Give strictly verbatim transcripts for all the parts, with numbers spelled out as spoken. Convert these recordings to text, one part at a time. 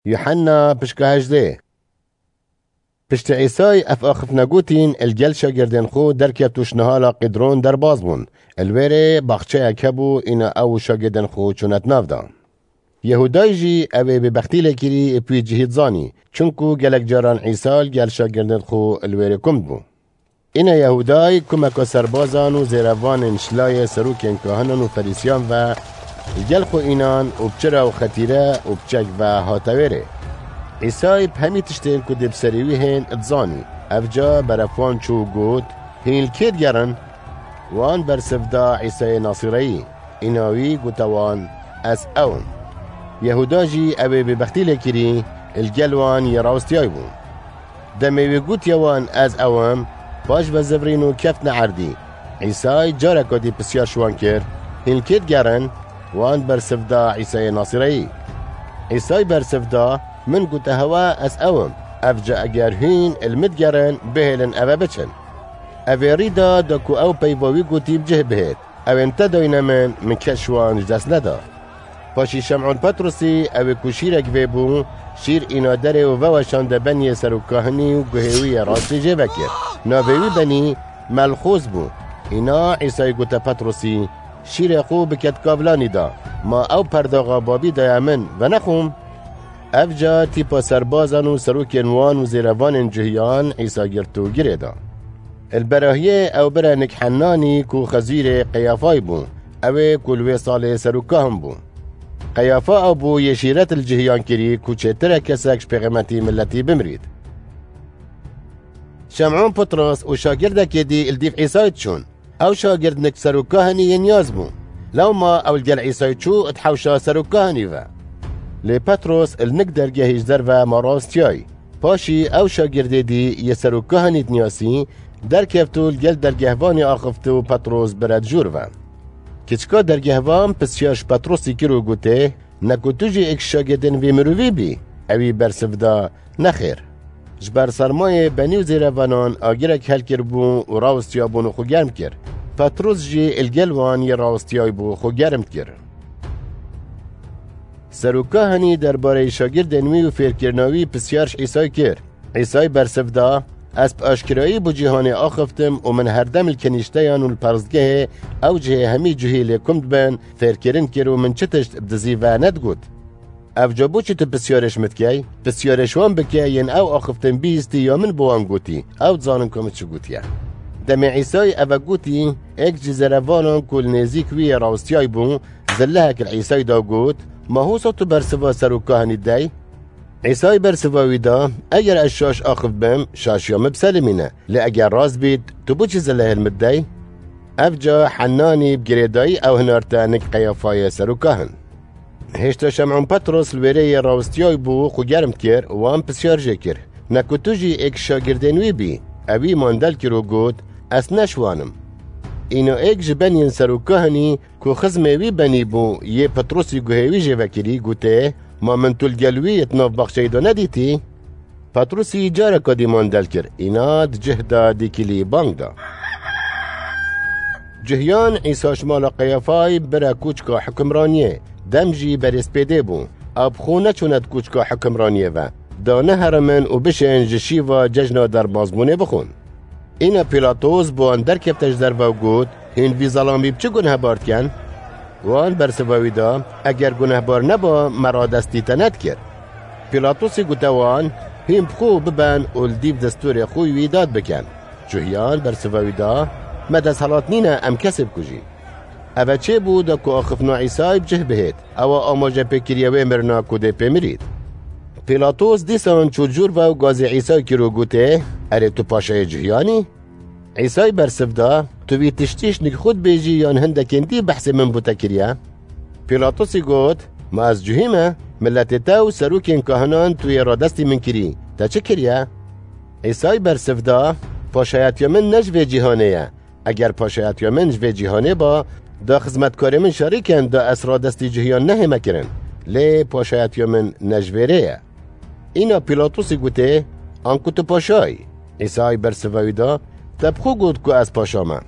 Yuhanna pişka hejdê. Piştî Îsay ev axiftina gotîn, li gel şagirdên xwe derkeft û ji nihala Qîdron derbas bûn. Li wê rê baxçeyek hebû, îna ew û şagirdên xwe çûne di nav de. Yehûday jî ew ê bêbextî lê kirî, ê bi wî cihî dizanî, çunku gelek caran Îsa li gel şagirdên xwe li wê rê kum dibû. Îna Yehûday kumeka serbazan û zêrevanên ji layê serokên kahinan û ferîsiyan ve li gel xwe înan û bi çira û xetîre û bi çek ve hate wê rê. Îsay bi hemî tiştên ku dê bi serê wî hên dizanî. Ev ca beref wan çû û got, Hîn li kê digerin? Wan bersiv da Îsayê Nasîreyî. Îna wî gote wan, Ez ew im. Yehûda jî ew ê bêbextî lê kirî, li gel wan yê rawestiyay bû. Demê wî gotiye wan, Ez ew im, paş ve zivirîn û keftine erdî. Îsay careka dî pisyar ji wan kir, Hîn li kê digerin? Wan bersiv da Îsayê Nasîreyî. Îsay bersiv da, Min gote hewe, ez ew im. Ev ca eger hîn li min digerin, bihêlin eve biçin. Ev ê rî da, da ku ew peyva wî gotî bi cih bihêt. Ew ên te dayne min, min kes ji wan ji dest neda. Paşî Şem'ûn Petrusî, ew ê ku şîrek vê bû, şîr îna derê û veweşande beniyê serokkahinî û guhê wî yê rastî jê vekir. Navê wî benî Melxûs bû. Îna Îsayî gote Petrusî, Şîrê xwe bike di kavlanî de, ma ew perdaxa babî daye min, venexwim? Ev ca tîpa serbazan û serokên wan û zêrevanên cuhiyan Îsa girt û girê da. Li berahiyê ew bire nik Hennanî ku xezîrê Qeyafay bû, ew ê ku li wê salê serokkahin bû. Qeyafa ew bû yê şîret li cihiyan kirî ku çêtir e kesek ji pêxemetî miletî bimirît. Şem'ûn Petros û şagirdekê dî li dîv Îsayî diçûn. Ew şagird nik serokkahinî yên yaz bû. Lewma ew li gel Îsayî çû di hewşa serokkahinî ve. Lê Petros li nik dergehî ji derve ma rawestiyayî. Paşî ew şagirdê dî yê serokkahinî dinasî, derkeft û li gel dergehvanê axifte û Petros bire di jûr ve. Kiçika dergehvan pisyar ji Petrosî kir û gotê, Ne ku tu jî êk ji şagirdên vî mirovî bî? Ewî bersiv da, Nexêr. Ji ber sermayê benî û zêrevanan agirek helkiribû û rawestiyabûn û xwe germ kir. Petros jî li gel wan yê rawestiyayî bû xwe germ dikir. Serokkahinî derbarê şagirdên wî û fêrkirina wî pisyar ji Îsayî kir. Îsayî bersiv da, Ez bi aşkirayî bo cîhanê axiftim û min herdem li kenîşteyan û li perstgehê ew cihê hemî cuhî lê kum dibin, fêrkirin kir û min çi tişt bi dizî ve nedigot. Ev ca bo çi tu pisyarê ji min dikey? Pisyarê ji wan bike yên ew axiftin bihîstî ya min bi wan gotî. Ew dizanin ku min çi gotiye. Demê Îsayî eve gotî, êk ji zêrevanan ku li nêzîk wî yê rawestiyayî bû, zillehek li Îsayî da û got, Ma hosa tu bersiva serokkahinî dey? Îsayî bersiva wî da, Eger ez şaş axif bim, şaşiya min biselimîne. Lê eger rast bît, tu bo çi zillehê li min dey? Ev ca Hennanî bi girêdayî ew hinarte nik Qeyafayê serokkahin. Hêşta Şem'ûn Petros li wêrê yê rawestiyayî bû, xwe germ dikir, wan pisyar jê kir, Ne ku tu jî êk ji şagirdên wî bî? Ewî mandel kir û got, Ez ne ji wan im. Îna êk ji beniyên serokkahinî ku xizmê wî benî bû, yê Petrosî guhê wî jê vekirî, gotê, Ma min tu li gel wî di nav baxçeyê de nedîtî? Petrosî careka dî mandel kir, îna di cih de dîkilî bang da. Cuhiyan Îsa ji mala Qeyafay bire kûçka hukimraniyê, dem jî berêzpêdê bû. Ew bi xwe neçûne di kûçka hukimraniyê ve, da neherimin û bişên ji şîva cejna derbasbûnê bixwin. Îna Pîlatos bi wan derkefte ji derve û got, Hîn vî zelamî bi çi gunehbar dikin? Wan bersiva wî da, Eger gunehbar neba, me radestî te nedikir. Pîlatosî gote wan, Hîn bi xwe biben û li dîv destûrê xwe wî dad bikin. Cuhiyan bersiva wî da, Me desthilat nîne em kesê bikujîn. Eve çêbû da ku axiftina Îsayî bi cih bihêt, ewa amaje pê kiriye wê mirina ku dê pê mirît. Pîlatos dîsan çû cûr ve û gazê Îsayî kir û gotê, Erê tu paşayê cuhiyan î? Îsayî bersiv da, Tu vî tiştî ji nik xwe dibêjî yan hindekên dî behsê min bo te kiriye? Pîlatosî got, Ma ez cuhî me? Miletê te û serokên kahinan tu yê radestî min kirî. Te çi kiriye? Îsayî bersiv da, Paşayetiya min ne ji vê cîhanê ye. Eger paşayetiya min ji vê cîhanê ba, da xizmetkarê min şerî ken da ez radestî cihiyan nehême kirin. Lê paşayetiya min ne ji vê rê ye. Îna Pîlatosî gotê, Anku tu paşa yî? Îsayî bersiva wî da, Te bi xwe got ku ez paşa me.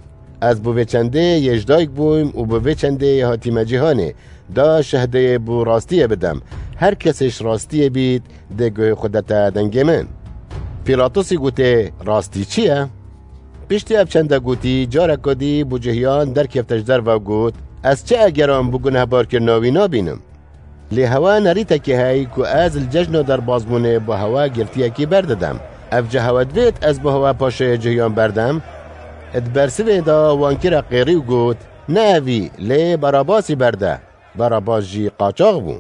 Ez bo vê çendê yê ji dayik bûyim û bo vê çendê yê hatîme cîhanê, da şehdeyê bo rastiyê bidem. Her kesê ji rastiyê bît, dê guhê xwe dete dengê min. Pîlatosî gotê, Rastî çi ye? Piştî ev çende gotî, careke dî bû cihiyan derkefte ji derve û got, Ez çi egeran bo gunehbarkirina wî nabînim? Lê hewe nerîtekê hey ku ez li cejna derbazbûnê bo hewe girtiyekî berdidem. Ev cih hewe divêt ez bo hewe paşê cihiyan berdem? Di bersivê de wan kire qêrî û got, Ne evî, lê Barabasî berde. Barabas jî qaçax bû.